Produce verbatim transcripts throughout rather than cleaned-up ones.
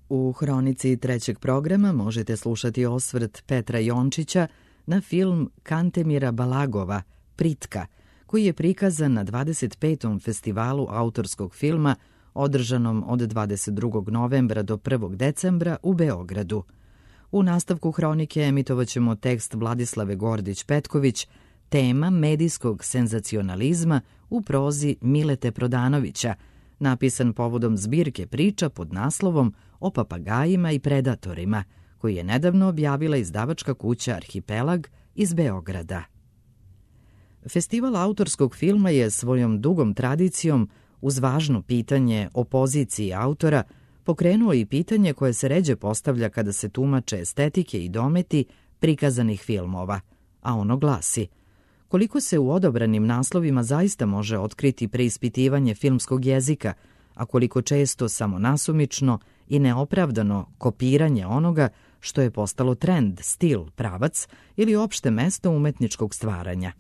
U hronici trećeg programa možete slušati osvrt Petra Jončića na film Kantemira Balagova Pritka, koji je prikazan na dvadeset petom festivalu autorskog filma održanom od dvadeset drugog novembra do prvog decembra u Beogradu. U nastavku hronike emitovaćemo tekst Vladislave Gordić-Petković, tema medijskog senzacionalizma u prozi Milete Prodanovića, napisan povodom zbirke priča pod naslovom O papagajima i predatorima, koji je nedavno objavila izdavačka kuća Arhipelag iz Beograda. Festival autorskog filma je svojom dugom tradicijom, uz važno pitanje o poziciji autora, pokrenuo i pitanje koje se ređe postavlja kada se tumače estetike i dometi prikazanih filmova, a ono glasi: koliko se u odabranim naslovima zaista može otkriti preispitivanje filmskog jezika, a koliko često samo nasumično i neopravdano kopiranje onoga što je postalo trend, stil, pravac ili opšte mesto umetničkog stvaranja.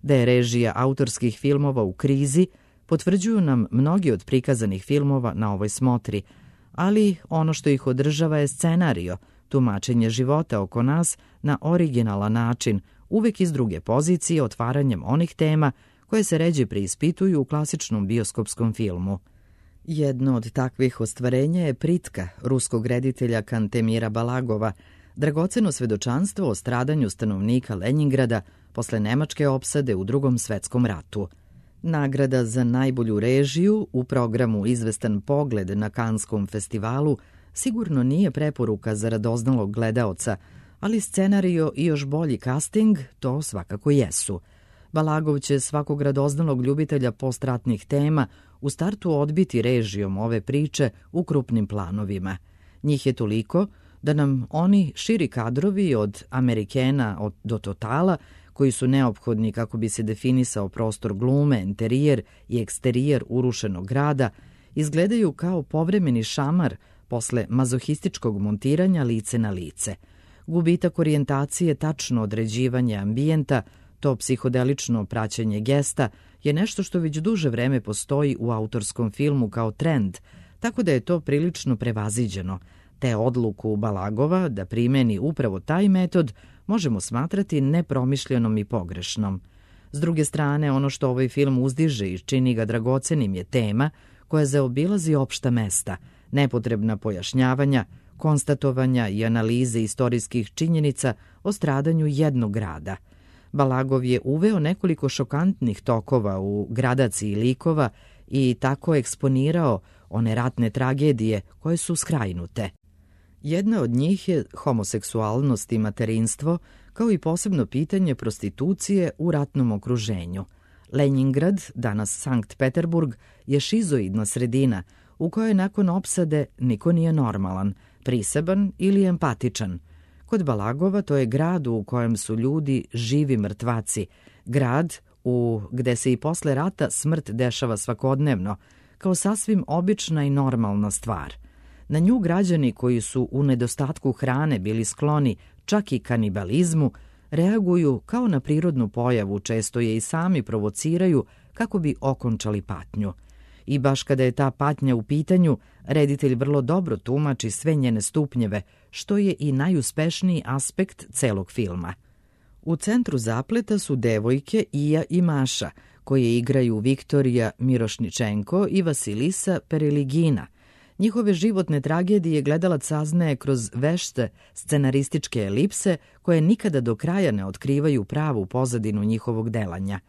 Da je režija autorskih filmova u krizi potvrđuju nam mnogi od prikazanih filmova na ovoj smotri, ali ono što ih održava je scenario, tumačenje života oko nas na originalan način, uvek iz druge pozicije, otvaranjem onih tema koje se ređe preispituju u klasičnom bioskopskom filmu. Jedno od takvih ostvarenja je Pritka ruskog reditelja Kantemira Balagova, dragoceno svedočanstvo o stradanju stanovnika Lenjingrada posle nemačke opsade u Drugom svetskom ratu. Nagrada za najbolju režiju u programu Izvestan pogled na Kanskom festivalu sigurno nije preporuka za radoznalog gledaoca, ali scenario i još bolji casting to svakako jesu. Balagov će svakog radoznalog ljubitelja postratnih tema u startu odbiti režijom ove priče u krupnim planovima. Njih je toliko da nam oni širi kadrovi od Amerikena do Totala, koji su neophodni kako bi se definisao prostor glume, interijer i eksterijer urušenog grada, izgledaju kao povremeni šamar posle mazohističkog montiranja lice na lice. Gubitak orijentacije, tačno određivanje ambijenta, to psihodelično praćenje gesta je nešto što već duže vreme postoji u autorskom filmu kao trend, tako da je to prilično prevaziđeno. Te odluku Balagova da primeni upravo taj metod možemo smatrati nepromišljenom i pogrešnom. S druge strane, ono što ovaj film uzdiže i čini ga dragocenim je tema koja zaobilazi opšta mesta, nepotrebna pojašnjavanja, konstatovanja i analize istorijskih činjenica o stradanju jednog grada. Balagov je uveo nekoliko šokantnih tokova u gradaciji likova i tako eksponirao one ratne tragedije koje su skrajnute. Jedna od njih je homoseksualnost i materinstvo, kao i posebno pitanje prostitucije u ratnom okruženju. Lenjingrad, danas Sankt Peterburg, je šizoidna sredina u kojoj nakon opsade niko nije normalan, priseban ili empatičan. Kod Balagova to je grad u kojem su ljudi živi mrtvaci, grad u gde se i posle rata smrt dešava svakodnevno, kao sasvim obična i normalna stvar. Na nju građani koji su u nedostatku hrane bili skloni čak i kanibalizmu, reaguju kao na prirodnu pojavu, često je i sami provociraju kako bi okončali patnju. I baš kada je ta patnja u pitanju, reditelj vrlo dobro tumači sve njene stupnjeve, što je i najuspešniji aspekt celog filma. U centru zapleta su devojke Ija i Maša, koje igraju Viktorija Mirošničenko i Vasilisa Pereligina. Njihove životne tragedije gledalac saznaje kroz vešte scenarističke elipse koje nikada do kraja ne otkrivaju pravu pozadinu njihovog delanja.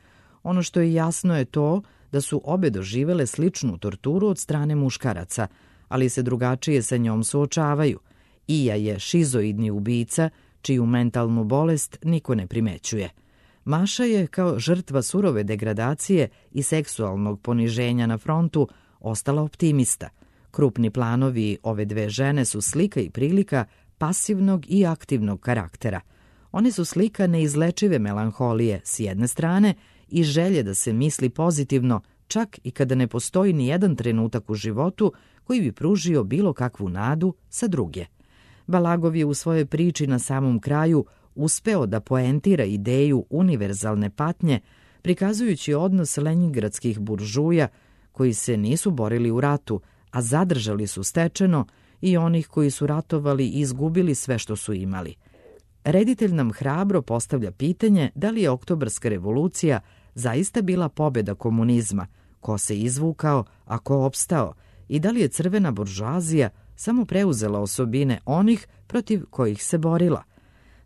Ono što je jasno je to da su obe doživele sličnu torturu od strane muškaraca, ali se drugačije sa njom suočavaju. Ija je šizoidni ubica, čiju mentalnu bolest niko ne primećuje. Maša je, kao žrtva surove degradacije i seksualnog poniženja na frontu, ostala optimista. Krupni planovi ove dve žene su slika i prilika pasivnog i aktivnog karaktera. One su slika neizlečive melanholije s jedne strane i želje da se misli pozitivno, čak i kada ne postoji ni jedan trenutak u životu koji bi pružio bilo kakvu nadu sa druge. Balagov je u svojoj priči na samom kraju uspeo da poentira ideju univerzalne patnje, prikazujući odnos lenjingradskih buržuja koji se nisu borili u ratu, a zadržali su stečeno i onih koji su ratovali i izgubili sve što su imali. Reditelj nam hrabro postavlja pitanje da li je Oktobarska revolucija zaista bila pobjeda komunizma, ko se izvukao, a ko opstao, i da li je crvena buržoazija samo preuzela osobine onih protiv kojih se borila.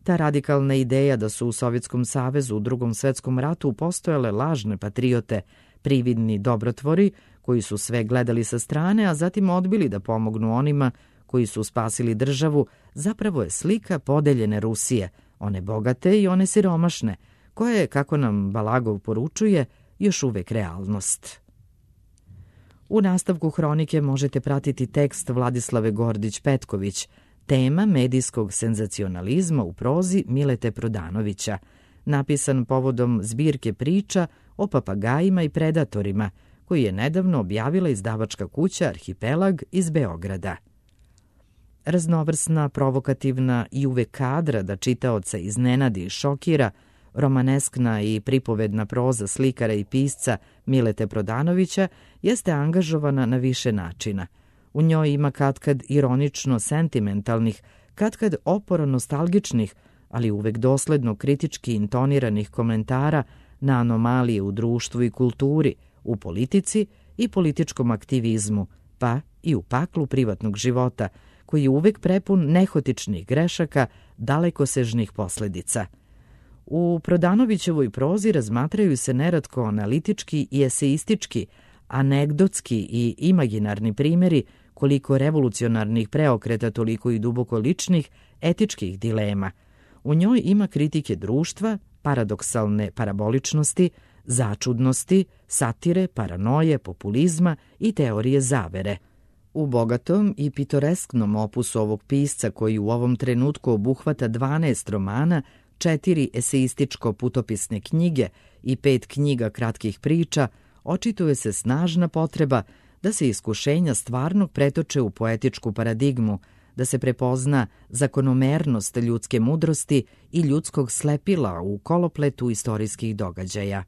Ta radikalna ideja da su u Sovjetskom savezu u Drugom svetskom ratu postojale lažne patriote, prividni dobrotvori, koji su sve gledali sa strane, a zatim odbili da pomognu onima koji su spasili državu, zapravo je slika podeljene Rusije, one bogate i one siromašne, koja je, kako nam Balagov poručuje, još uvek realnost. U nastavku hronike možete pratiti tekst Vladislave Gordić-Petković, tema medijskog senzacionalizma u prozi Milete Prodanovića, napisan povodom zbirke priča o papagajima i predatorima, koji je nedavno objavila izdavačka kuća Arhipelag iz Beograda. Raznovrsna, provokativna i uvek kadra da čitaoca iznenadi i šokira, romaneskna i pripovedna proza slikara i pisca Milete Prodanovića jeste angažovana na više načina. U njoj ima katkad ironično sentimentalnih, katkad oporo nostalgičnih, ali uvek dosledno kritički intoniranih komentara na anomalije u društvu i kulturi, u politici i političkom aktivizmu, pa i u paklu privatnog života, koji je uvek prepun nehotičnih grešaka, dalekosežnih posledica. U Prodanovićevoj prozi razmatraju se neretko analitički i eseistički, anegdotski i imaginarni primjeri koliko revolucionarnih preokreta, toliko i duboko ličnih, etičkih dilema. U njoj ima kritike društva, paradoksalne paraboličnosti, začudnosti, satire, paranoje, populizma i teorije zavere. U bogatom i pitoresknom opusu ovog pisca, koji u ovom trenutku obuhvata dvanaest romana, četiri eseističko-putopisne knjige i pet knjiga kratkih priča, očituje se snažna potreba da se iskušenja stvarnog pretoče u poetičku paradigmu, da se prepozna zakonomernost ljudske mudrosti i ljudskog slepila u kolopletu istorijskih događaja.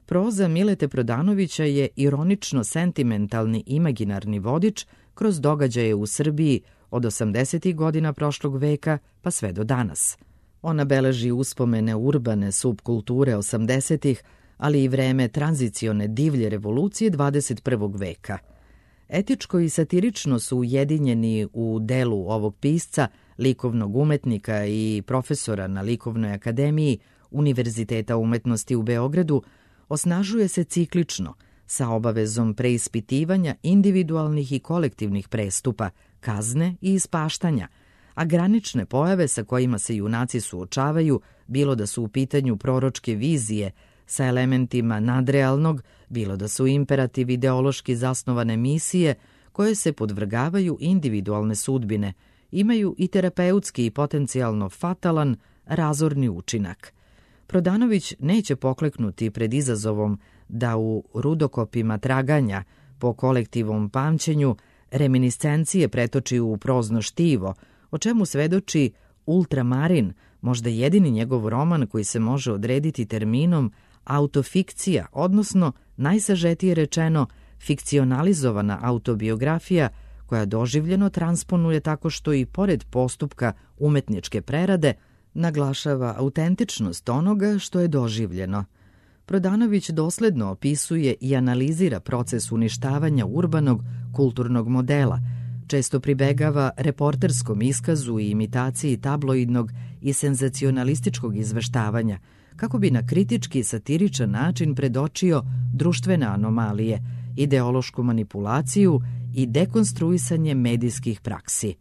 Proza Milete Prodanovića je ironično-sentimentalni imaginarni vodič kroz događaje u Srbiji od osamdesetih godina prošlog veka pa sve do danas. Ona beleži uspomene urbane subkulture osamdesetih, ali i vreme tranzicione divlje revolucije dvadeset prvog veka. Etičko i satirično su ujedinjeni u delu ovog pisca, likovnog umetnika i profesora na Likovnoj akademiji Univerziteta umetnosti u Beogradu, osnažuje se ciklično, sa obavezom preispitivanja individualnih i kolektivnih prestupa, kazne i ispaštanja, a granične pojave sa kojima se junaci suočavaju, bilo da su u pitanju proročke vizije sa elementima nadrealnog, bilo da su imperativ ideološki zasnovane misije koje se podvrgavaju individualne sudbine, imaju i terapeutski i potencijalno fatalan razorni učinak. Prodanović neće pokleknuti pred izazovom da u rudokopima traganja po kolektivom pamćenju reminiscencije pretoči u prozno štivo, o čemu svedoči Ultramarin, možda jedini njegov roman koji se može odrediti terminom autofikcija, odnosno, najsažetije rečeno, fikcionalizovana autobiografija koja doživljeno transponuje tako što i pored postupka umetničke prerade naglašava autentičnost onoga što je doživljeno. Prodanović dosledno opisuje i analizira proces uništavanja urbanog kulturnog modela, često pribegava reporterskom iskazu i imitaciji tabloidnog i senzacionalističkog izveštavanja, kako bi na kritički i satiričan način predočio društvene anomalije, ideološku manipulaciju i dekonstruisanje medijskih praksi.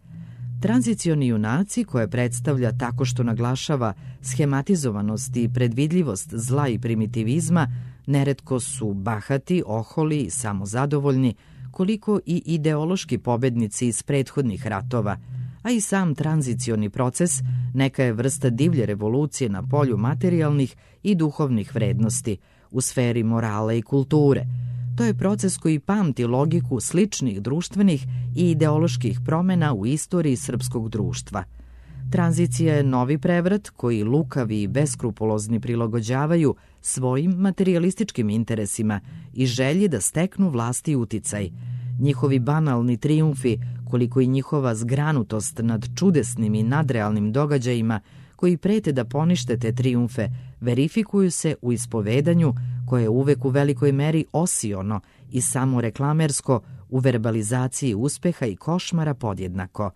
Tranzicioni junaci, koje predstavlja tako što naglašava schematizovanost i predvidljivost zla i primitivizma, neretko su bahati, oholi i samozadovoljni, koliko i ideološki pobednici iz prethodnih ratova, a i sam tranzicioni proces neka je vrsta divlje revolucije na polju materijalnih i duhovnih vrednosti, u sferi morala i kulture. To je proces koji pamti logiku sličnih društvenih i ideoloških promena u istoriji srpskog društva. Tranzicija je novi prevrat koji lukavi i beskrupulozni prilagođavaju svojim materijalističkim interesima i želji da steknu vlast i uticaj. njihovi banalni trijumfi, koliko i njihova zgranutost nad čudesnim i nadrealnim događajima koji prete da ponište te trijumfe, verifikuju se u ispovedanju koje je uvek u velikoj meri osiono i samoreklamersko, u verbalizaciji uspeha i košmara podjednako.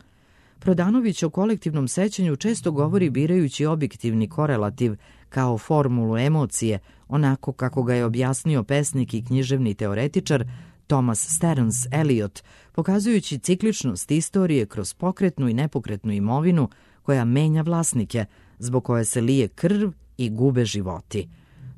Prodanović o kolektivnom sećanju često govori birajući objektivni korelativ kao formulu emocije, onako kako ga je objasnio pesnik i književni teoretičar Thomas Stearns Eliot, pokazujući cikličnost istorije kroz pokretnu i nepokretnu imovinu koja menja vlasnike, zbog koje se lije krv i gube životi.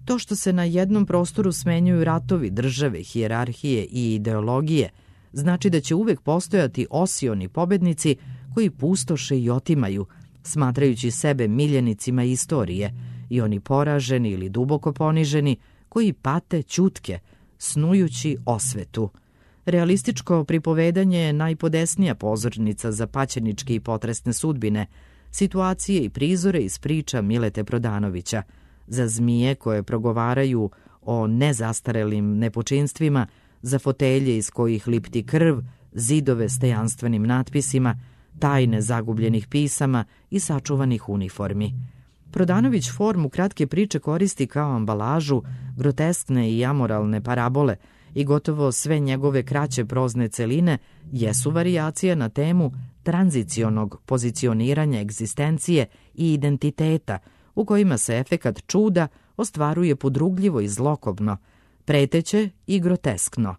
To što se na jednom prostoru smenjuju ratovi, države, hijerarhije i ideologije, znači da će uvek postojati osioni pobednici koji pustoše i otimaju, smatrajući sebe miljenicima istorije, i oni poraženi ili duboko poniženi koji pate ćutke, snujući osvetu. Realističko pripovedanje je najpodesnija pozornica za paćeničke i potresne sudbine, situacije i prizore iz priča Milete Prodanovića, za zmije koje progovaraju o nezastarelim nepočinstvima, za fotelje iz kojih lipti krv, zidove s tajanstvenim natpisima, tajne zagubljenih pisama i sačuvanih uniformi. Prodanović formu kratke priče koristi kao ambalažu, groteskne i amoralne parabole i gotovo sve njegove kraće prozne celine jesu varijacije na temu tranzicionog pozicioniranja egzistencije i identiteta, u kojima se efekat čuda ostvaruje podrugljivo i zlokobno, preteće i groteskno.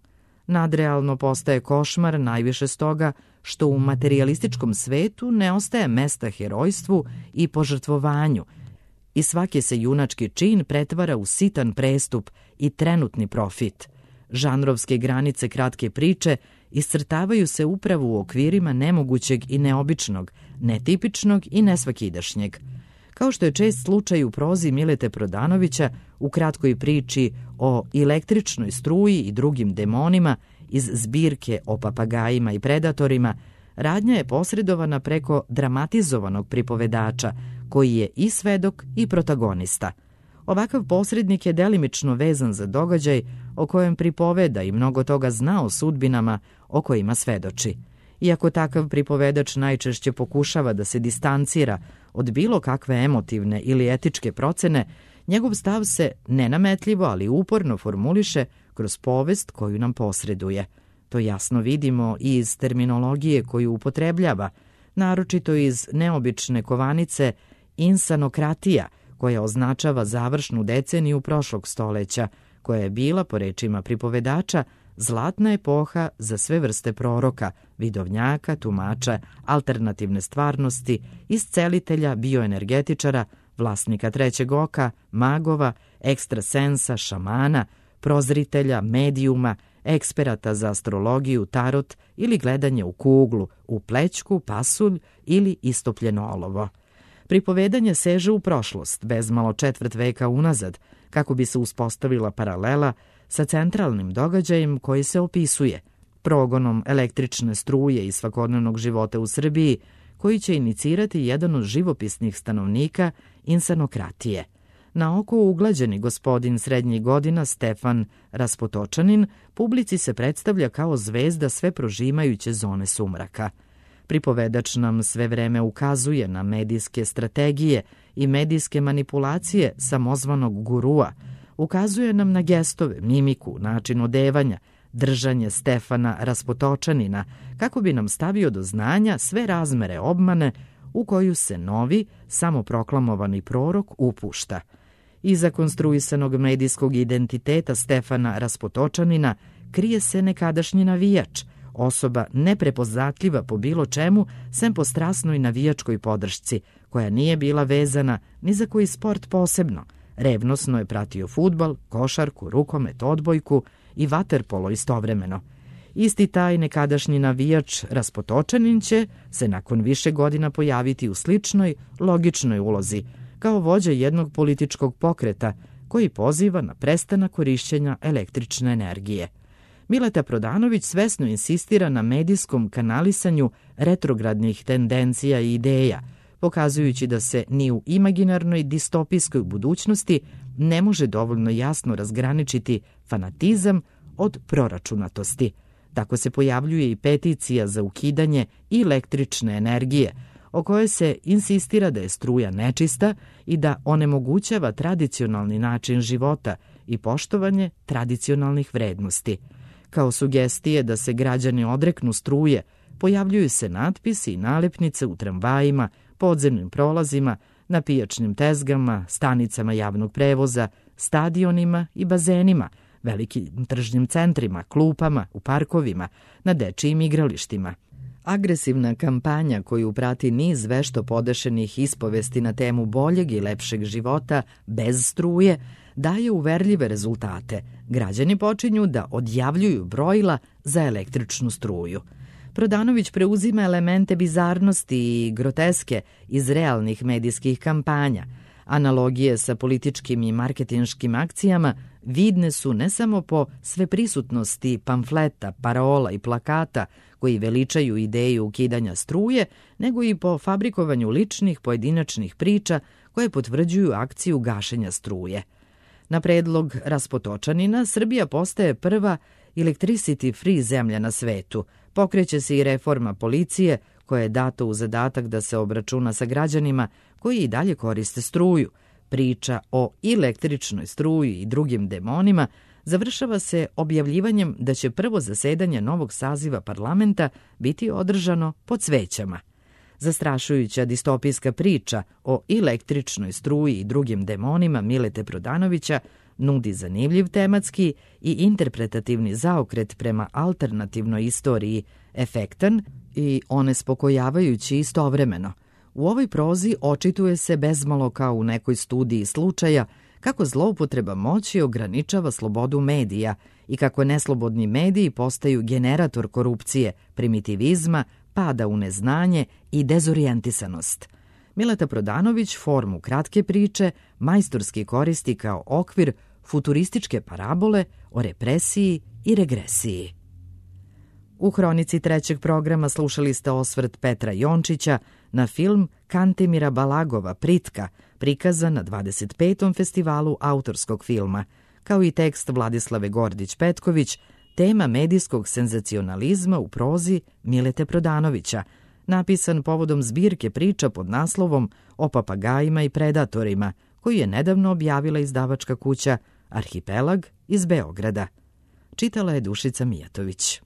Nadrealno postaje košmar najviše stoga što u materijalističkom svetu ne ostaje mesta herojstvu i požrtvovanju i svaki se junački čin pretvara u sitan prestup i trenutni profit. Žanrovske granice kratke priče iscrtavaju se upravo u okvirima nemogućeg i neobičnog, netipičnog i nesvakidašnjeg. Kao što je čest slučaj u prozi Milete Prodanovića, u kratkoj priči o električnoj struji i drugim demonima iz zbirke o papagajima i predatorima, radnja je posredovana preko dramatizovanog pripovedača, koji je i svedok i protagonista. Ovakav posrednik je delimično vezan za događaj o kojem pripoveda i mnogo toga zna o sudbinama o kojima svedoči. Iako takav pripovedač najčešće pokušava da se distancira od bilo kakve emotivne ili etičke procene, njegov stav se nenametljivo, ali uporno formuliše kroz povest koju nam posreduje. To jasno vidimo i iz terminologije koju upotrebljava, naročito iz neobične kovanice insanokratija, koja označava završnu deceniju prošlog stoleća, koja je bila, po rečima pripovedača, zlatna epoha za sve vrste proroka, vidovnjaka, tumača, alternativne stvarnosti, iscelitelja, bioenergetičara, vlasnika trećeg oka, magova, ekstrasensa, šamana, prozritelja, medijuma, eksperata za astrologiju, tarot ili gledanje u kuglu, u plećku, pasulj ili istopljeno olovo. Pripovedanje seže u prošlost, bezmalo četvrt veka unazad, kako bi se uspostavila paralela sa centralnim događajem koji se opisuje, progonom električne struje iz svakodnevnog života u Srbiji, koji će inicirati jedan od živopisnih stanovnika insanokratije. Na oko uglađeni gospodin srednjih godina Stefan Raspotočanin publici se predstavlja kao zvezda sve prožimajuće zone sumraka. Pripovedač nam sve vreme ukazuje na medijske strategije i medijske manipulacije samozvanog gurua, ukazuje nam na gestove, mimiku, način odevanja, držanje Stefana Raspotočanina, kako bi nam stavio do znanja sve razmere obmane u koju se novi, samoproklamovani prorok upušta. Iza konstruisanog medijskog identiteta Stefana Raspotočanina krije se nekadašnji navijač, osoba neprepoznatljiva po bilo čemu, sem po strasnoj navijačkoj podršci, koja nije bila vezana ni za koji sport posebno. Revnosno je pratio fudbal, košarku, rukomet, odbojku i vaterpolo istovremeno. Isti taj nekadašnji navijač Raspotočanin će se nakon više godina pojaviti u sličnoj, logičnoj ulozi, kao vođa jednog političkog pokreta koji poziva na prestanak korišćenja električne energije. Mileta Prodanović svesno insistira na medijskom kanalisanju retrogradnih tendencija i ideja, pokazujući da se ni u imaginarnoj distopijskoj budućnosti ne može dovoljno jasno razgraničiti fanatizam od proračunatosti. Tako se pojavljuje i peticija za ukidanje električne energije, o kojoj se insistira da je struja nečista i da onemogućava tradicionalni način života i poštovanje tradicionalnih vrednosti. Kao sugestije da se građani odreknu struje, pojavljuju se natpisi i nalepnice u tramvajima, podzemnim prolazima, na pijačnim tezgama, stanicama javnog prevoza, stadionima i bazenima, velikim tržnim centrima, klupama, u parkovima, na dečijim igralištima. Agresivna kampanja koju prati niz vešto podešenih ispovesti na temu boljeg i lepšeg života bez struje daje uverljive rezultate. Građani počinju da odjavljuju brojila za električnu struju. Prodanović preuzima elemente bizarnosti i groteske iz realnih medijskih kampanja. Analogije sa političkim i marketinškim akcijama vidne su ne samo po sveprisutnosti pamfleta, parola i plakata koji veličaju ideju ukidanja struje, nego i po fabrikovanju ličnih pojedinačnih priča koje potvrđuju akciju gašenja struje. Na predlog Raspotočanina, Srbija postaje prva electricity free zemlja na svetu. Pokreće se i reforma policije, koja je dato u zadatak da se obračuna sa građanima koji i dalje koriste struju. Priča o električnoj struji i drugim demonima završava se objavljivanjem da će prvo zasedanje novog saziva parlamenta biti održano pod svećama. Zastrašujuća distopijska priča o električnoj struji i drugim demonima Milete Prodanovića nudi zanimljiv tematski i interpretativni zaokret prema alternativnoj istoriji, efektan i onespokojavajući istovremeno. U ovoj prozi očituje se bezmalo kao u nekoj studiji slučaja kako zloupotreba moći ograničava slobodu medija i kako neslobodni mediji postaju generator korupcije, primitivizma, pada u neznanje i dezorijentisanost. Mileta Prodanović formu kratke priče majstorski koristi kao okvir futurističke parabole o represiji i regresiji. U hronici trećeg programa slušali ste osvrt Petra Jončića na film Kantemira Balagova Pritka, prikazan na dvadeset petom festivalu autorskog filma, kao i tekst Vladislave Gordić-Petković, tema medijskog senzacionalizma u prozi Milete Prodanovića, napisan povodom zbirke priča pod naslovom O papagajima i predatorima, koju je nedavno objavila izdavačka kuća Arhipelag iz Beograda. Čitala je Dušica Mijatović.